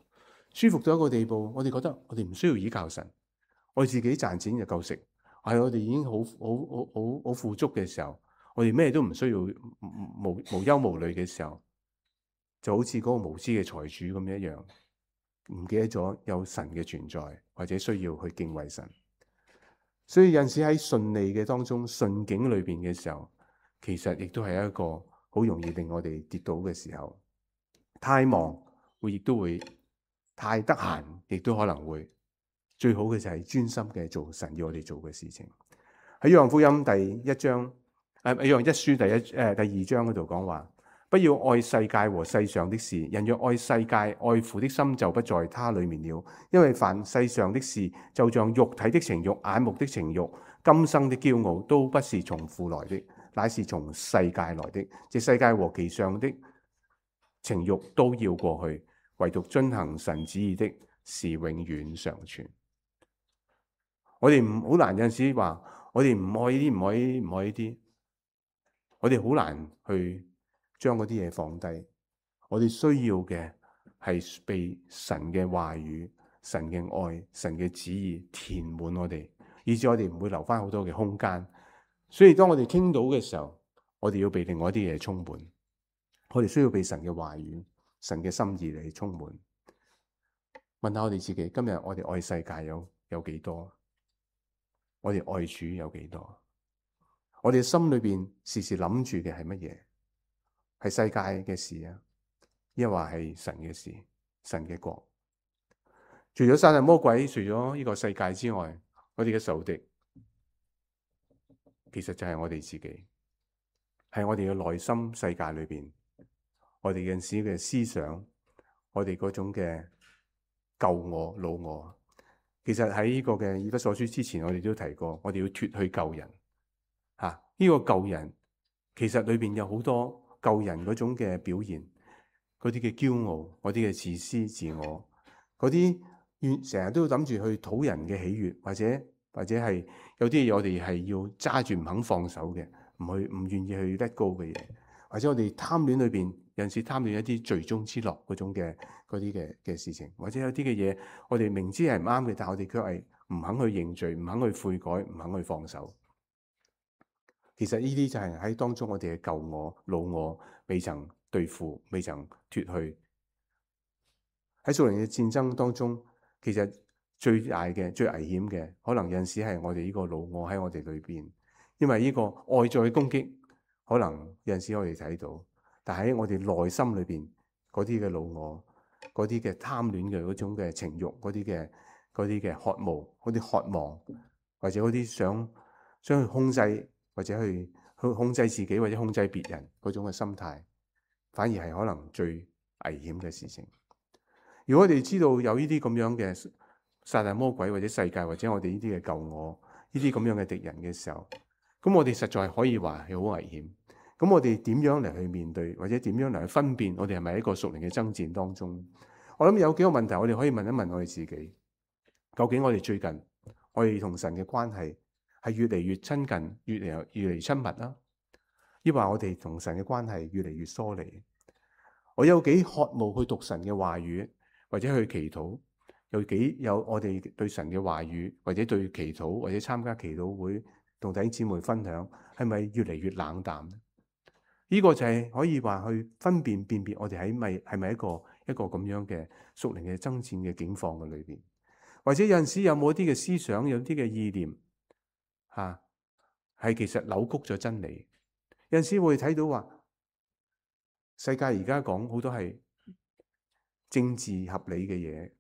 舒服到一個地步，我哋覺得我哋唔需要依靠神，我哋自己賺錢就夠食。係我哋已經好好好好好富足嘅時候，我哋咩都唔需要，無無無憂無慮嘅時候，就好似嗰個無知嘅財主咁一樣，唔記得咗有神嘅存在，或者需要去敬畏神。所以有陣時喺順利嘅當中、順境裏邊嘅時候，其實亦都係一個好容易令我哋跌倒嘅時候。太忙會亦都會。太得閒，亦都可能會。最好嘅就係專心嘅做神要我哋做嘅事情。喺約翰福音第一章，誒、啊，約翰一書第一誒、呃、第二章嗰度講話，不要愛世界和世上的事。人若愛世界，愛父的心就不在他裏面了。因為凡世上的事，就像肉體的情欲、眼目的情欲、今生的驕傲，都不是從父來的，乃是從世界來的。這世界和其上的情欲都要過去，唯獨遵行神旨意的是永遠常存。我哋唔好難，有陣時話我哋唔愛呢啲，唔愛呢啲，唔愛呢啲。我哋好難去將嗰啲嘢放低。我哋需要嘅係被神嘅話語、神嘅愛、神嘅旨意填滿我哋，以致我哋唔會留翻好多嘅空間。所以當我哋傾到嘅時候，我哋要被另外一啲嘢充滿。我哋需要被神嘅話語、神嘅心意嚟充滿。問下我哋自己，今日我哋愛世界有有幾多？我哋愛主有幾多？我哋心裏邊時時諗住嘅係乜嘢？係世界嘅事啊，抑或係神嘅事、神嘅國？除咗撒旦魔鬼，除咗呢個世界之外，我哋嘅仇敵其實就係我哋自己，係我哋嘅內心世界裏邊，我哋有陣時嘅思想，我哋嗰種嘅舊我、老我。其實喺呢個嘅以弗所書之前，我哋都提過，我哋要脫去舊人。吓、啊，呢、這個舊人其實裏邊有好多舊人嗰種嘅表現，嗰啲嘅驕傲，嗰啲嘅自私自我，嗰啲願成日都諗住去討人嘅喜悅，或者或者係有啲嘢我哋係要揸住唔肯放手嘅，唔去唔願意去 let go 嘅嘢，或者我哋貪戀裏邊有陣時貪戀一啲罪中之樂嗰種嘅嗰啲嘅嘅事情，或者有啲嘅嘢我哋明知係唔啱嘅，但係我哋卻係唔肯去認罪，唔肯去悔改，唔肯去放手。其實呢啲就係喺當中我哋嘅舊我、老我未曾對付、未曾脫去。喺屬靈嘅戰爭當中，其實最大嘅、最危險嘅，可能有陣時係我哋呢個老我喺我哋裏邊，因為呢個外在嘅攻擊，可能有陣時我哋睇到，但喺我哋內心裏邊嗰啲嘅老我、嗰啲嘅貪戀嘅嗰種嘅情慾、嗰啲嘅嗰啲嘅渴慕、嗰啲渴望，或者嗰啲想想去控制。或者去去控制自己或者控制別人嗰種嘅心態，反而係可能最危險嘅事情。如果我哋知道有呢啲咁樣嘅撒旦魔鬼或者世界或者我哋呢啲嘅舊我呢啲咁樣嘅敵人嘅時候，咁我哋實在可以話係好危險。咁我哋點樣嚟去面對，或者點樣嚟去分辨我哋係咪喺一個屬靈嘅爭戰當中？我諗有幾個問題我哋可以問一問我哋自己，究竟我哋最近我哋同神嘅關係係越嚟越親近，越嚟越嚟親密啦，抑或我哋同神嘅關係越嚟越疏離？我有幾渴慕去讀神嘅話語，或者去祈禱？有幾有我哋對神嘅話語，或者對祈禱，或者參加祈禱會，同弟兄姊妹分享，係咪越嚟越冷淡呢？呢個就係可以話去分辨辨別我哋喺咪係咪一個一個咁樣嘅屬靈嘅爭戰嘅境況嘅裏邊，或者有陣時有冇一啲嘅思想，有啲嘅意念？吓，係、啊、其實扭曲咗真理。有陣時會睇到話，世界而家講好多係政治合理嘅嘢，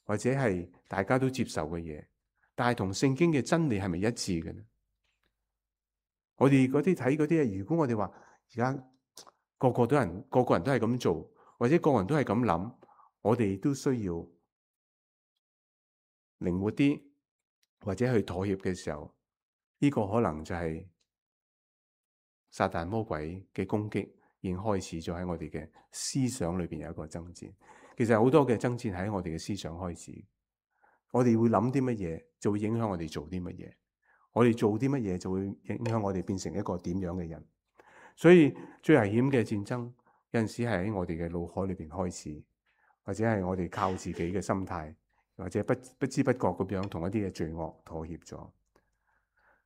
或者係大家都接受嘅嘢，但係同聖經嘅真理係咪一致嘅呢？我哋嗰啲睇嗰啲嘢，如果我哋話而家個個都人個個人都係咁做，或者個個人都係咁諗，我哋都需要靈活啲，或者去妥協嘅時候。呢個可能就係撒旦魔鬼嘅攻擊已經開始咗喺我哋嘅思想裏邊有一個爭戰。其實好多嘅爭戰喺我哋嘅思想開始，我哋會諗啲乜嘢就會影響我哋做啲乜嘢，我哋做啲乜嘢就會影響我哋變成一個點樣嘅人。所以最危險嘅戰爭有陣時係喺我哋嘅腦海裏邊開始，或者係我哋靠自己嘅心態，或者不不知不覺咁樣同一啲嘅罪惡妥協咗。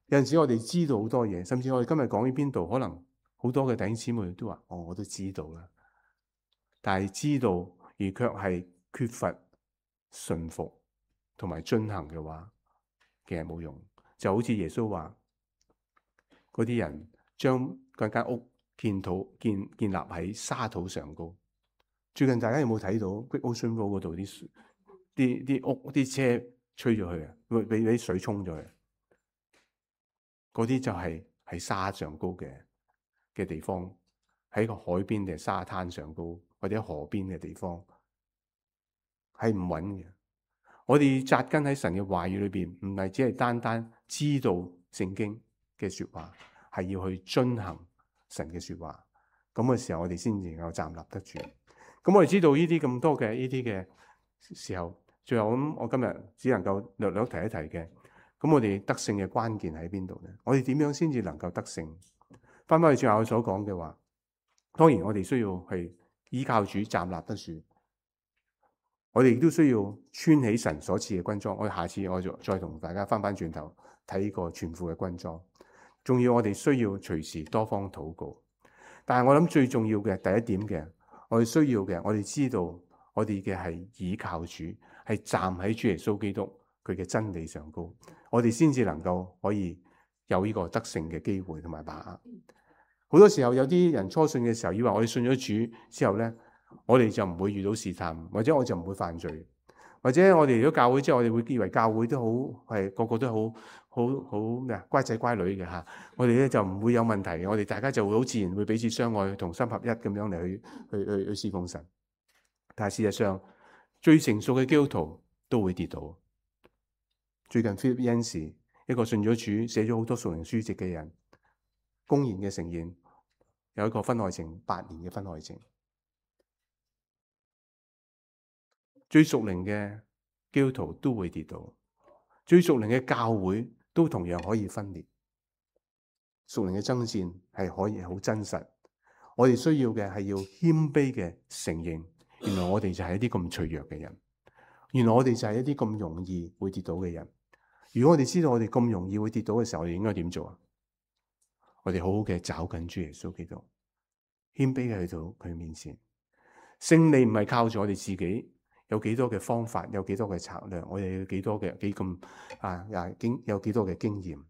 有陣時我哋知道好多嘢，甚至我哋今日講喺邊度，可能好多嘅弟兄姊妹都話：哦，我都知道啦。但係知道而卻係缺乏順服同埋遵行嘅話，其實冇用。就好似耶穌話，嗰啲人將嗰間屋建土建建立喺沙土上高。最近大家有冇睇到 Great Ocean Road 嗰度啲啲啲屋啲車吹咗去啊？會俾俾水沖咗去。嗰啲就係喺沙上高嘅嘅地方，喺個海邊定沙灘上高，或者河邊嘅地方，係唔穩嘅。我哋扎根喺神嘅話語裏邊，唔係只係單單知道聖經嘅說話，係要去遵行神嘅說話。咁嘅時候，我哋先至能夠站立得住。咁我哋知道呢啲咁多嘅呢啲嘅時候，最後咁，我今日只能夠略略提一提嘅。咁我哋得勝嘅關鍵喺邊度咧？我哋點樣先至能夠得勝？翻返去最後我所講嘅話，當然我哋需要去依靠主站立得住。我哋亦都需要穿起神所賜嘅軍裝。我下次我就再同大家翻翻轉頭睇呢個全副嘅軍裝。仲要我哋需要隨時多方禱告。但係我諗最重要嘅第一點嘅，我哋需要嘅，我哋知道我哋嘅係倚靠主，係站喺主耶穌基督佢嘅真理上高，我哋先至能夠可以有呢個得勝嘅機會同埋把握。好多時候有啲人初信嘅時候，以為我哋信咗主之後咧，我哋就唔會遇到試探，或者我就唔會犯罪，或者我哋如果教會之後，我哋會以為教會都好係個個都好好好咩啊乖仔乖女嘅嚇，我哋咧就唔會有問題嘅，我哋大家就會好自然會彼此相愛，同心合一咁樣嚟去去去去侍奉神。但係事實上，最成熟嘅基督徒都會跌倒。最近 Philip Yancey 一個信咗主、寫咗好多屬靈書籍嘅人，公然嘅承認有一個婚外情八年嘅婚外情。最屬靈嘅基督徒都會跌倒，最屬靈嘅教會都同樣可以分裂。屬靈嘅爭戰係可以好真實，我哋需要嘅係要謙卑嘅承認，原來我哋就係一啲咁脆弱嘅人，原來我哋就係一啲咁容易會跌倒嘅人。如果我哋知道我哋咁容易會跌倒嘅時候，我哋應該點做啊？我哋好好嘅找緊主耶穌基督，謙卑嘅去到佢面前。勝利唔係靠住我哋自己有幾多嘅方法，有幾多嘅策略，我哋有幾多嘅幾咁啊啊經有幾多嘅經驗。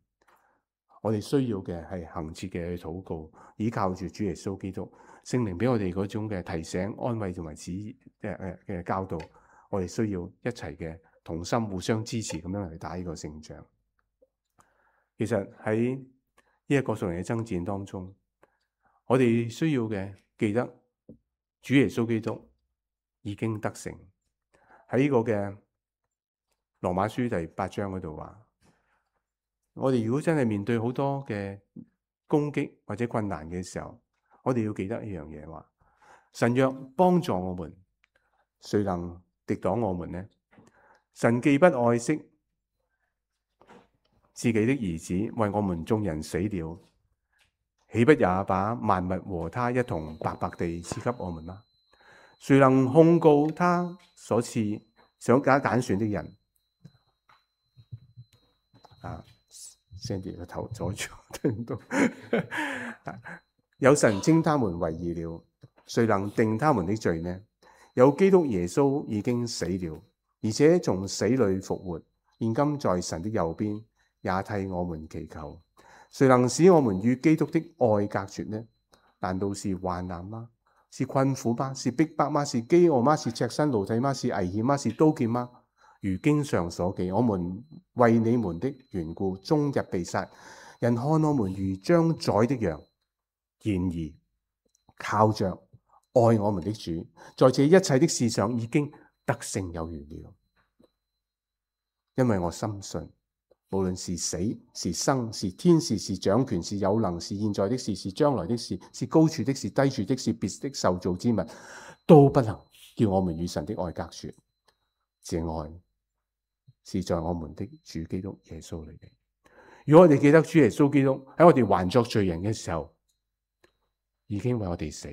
我哋需要嘅係恆切嘅去禱告，依靠住主耶穌基督，聖靈俾我哋嗰種嘅提醒、安慰同埋指誒誒嘅教導。我哋需要一齊嘅同心，互相支持咁樣嚟打呢個勝仗。其實喺呢一個屬靈嘅爭戰當中，我哋需要嘅記得主耶穌基督已經得勝。喺呢個嘅羅馬書第八章嗰度話，我哋如果真係面對好多嘅攻擊或者困難嘅時候，我哋要記得一樣嘢，話神若幫助我們，誰能敵擋我們呢？神既不愛惜自己的兒子，為我們眾人死了，豈不也把萬物和他一同白白地賜給我們嗎？誰能控告他所賜想揀揀選的人？啊 Sandy 個頭阻住，聽唔到。有神稱他們為義了，誰能定他們的罪呢？有基督耶穌已經死了，而且從死裏復活，現今在神的右邊，也替我們祈求。誰能使我們與基督的愛隔絕呢？難道是患難嗎？是困苦嗎？是逼迫嗎？是飢餓嗎？是赤身露體嗎？是危險嗎？是刀劍嗎？如經上所記，我們為你們的緣故，終日被殺，人看我們如將宰的羊。然而靠着愛我們的主，在這一切的事上已經得勝有餘了。因為我深信，無論是死是生，是天使是掌權，是有能，是現在的事，是將來的事，是高處的，是低處的，是別的受造之物，都不能叫我們與神的愛隔絕。這愛是在我們的主基督耶穌裏嘅。如果我哋記得主耶穌基督喺我哋還作罪人嘅時候，已經為我哋死，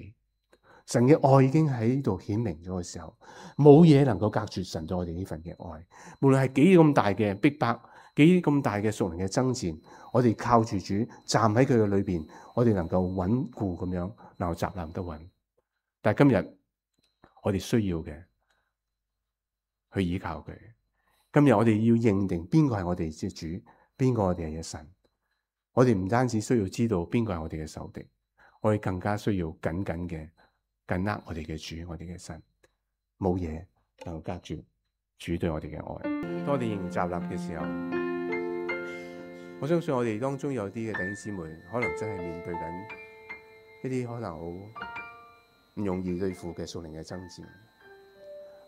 神嘅愛已經喺度顯明咗嘅時候，冇嘢能夠隔絕神對我哋呢份嘅愛。無論係幾咁大嘅逼迫，幾咁大嘅屬靈嘅爭戰，我哋靠住主站喺佢嘅裏邊，我哋能夠穩固咁樣能夠站立得穩。但係今日我哋需要嘅去依靠佢。今日我哋要認定邊個係我哋嘅主，邊個我哋係嘅神。我哋唔單止需要知道邊個係我哋嘅仇敵，我哋更加需要緊緊嘅緊握我哋嘅主，我哋嘅神。冇嘢能夠隔住主對我哋嘅愛。當我哋迎集立嘅時候，我相信我哋當中有啲嘅弟兄姊妹，可能真係面對緊一啲可能好唔容易對付嘅屬靈嘅爭戰。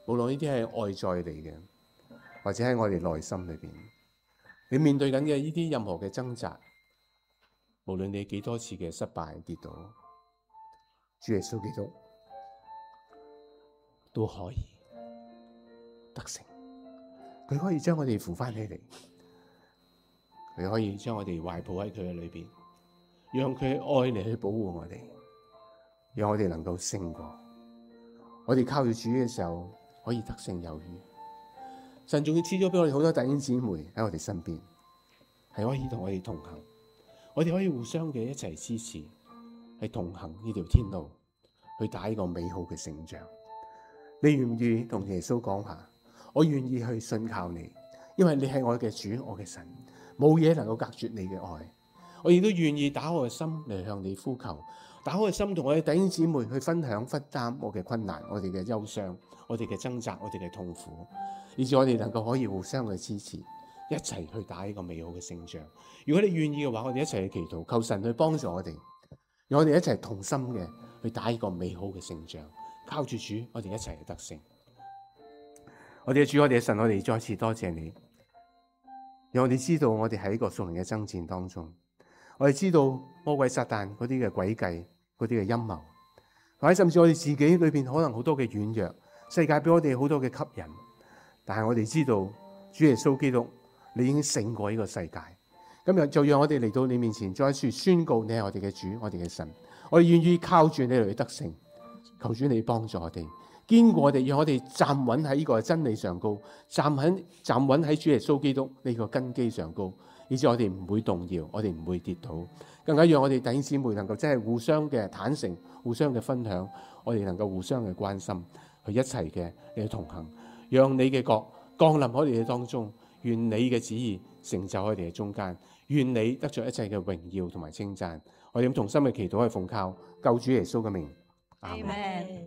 無論呢啲係外在嚟嘅，或者喺我哋內心裏邊，你面對緊嘅呢啲任何嘅掙扎，無論你幾多次嘅失敗跌倒，主耶穌基督都可以得勝。佢可以將我哋扶翻起嚟，佢可以將我哋懷抱喺佢嘅裏邊，讓佢嘅愛嚟去保護我哋，讓我哋能夠勝過。我哋靠住主嘅時候，可以得勝有餘。神仲要賜咗俾我哋好多弟兄姊妹喺我哋身邊，係可以同我哋同行，我哋可以互相嘅一齊支持，係同行呢條天路，去打呢個美好嘅勝仗。你願唔願意同耶穌講下？我願意去信靠你，因為你係我嘅主，我嘅神，冇嘢能夠隔絕你嘅愛。我亦都願意打我嘅心嚟向你呼求，打開個心同我哋弟兄姊妹去分享分擔我嘅困難、我哋嘅憂傷、我哋嘅掙扎、我哋嘅痛苦，以至我哋能夠可以互相去支持，一齊去打呢個美好嘅勝仗。如果你願意嘅話，我哋一齊去祈禱，求神去幫助我哋，讓我哋一齊同心嘅去打呢個美好嘅勝仗。靠住主，我哋一齊去得勝。我哋嘅主，我哋嘅神，我哋再次多謝你，讓我哋知道我哋喺一個屬靈嘅爭戰當中，我哋知道魔鬼撒旦嗰啲嘅詭計、嗰啲嘅陰謀，或者甚至我哋自己裏邊可能好多嘅軟弱，世界俾我哋好多嘅吸引，但係我哋知道主耶穌基督，你已經勝過呢個世界。今日就讓我哋嚟到你面前，再一次宣告你係我哋嘅主，我哋嘅神，我哋願意靠住你嚟得勝。求主你幫助我哋，堅固我哋，讓我哋站穩喺呢個真理上高，站喺站穩喺主耶穌基督呢個根基上高，以致我哋唔會動搖，我哋唔會跌倒，更加讓我哋弟兄姊妹能夠真係互相嘅坦誠，互相嘅分享，我哋能夠互相嘅關心，去一齊嘅嚟同行，讓你嘅國降臨喺我哋嘅當中，願你嘅旨意成就喺我哋嘅中間，願你得着一切嘅榮耀同埋稱讚。我哋咁同心嘅祈禱係奉靠救主耶穌嘅名。Amen。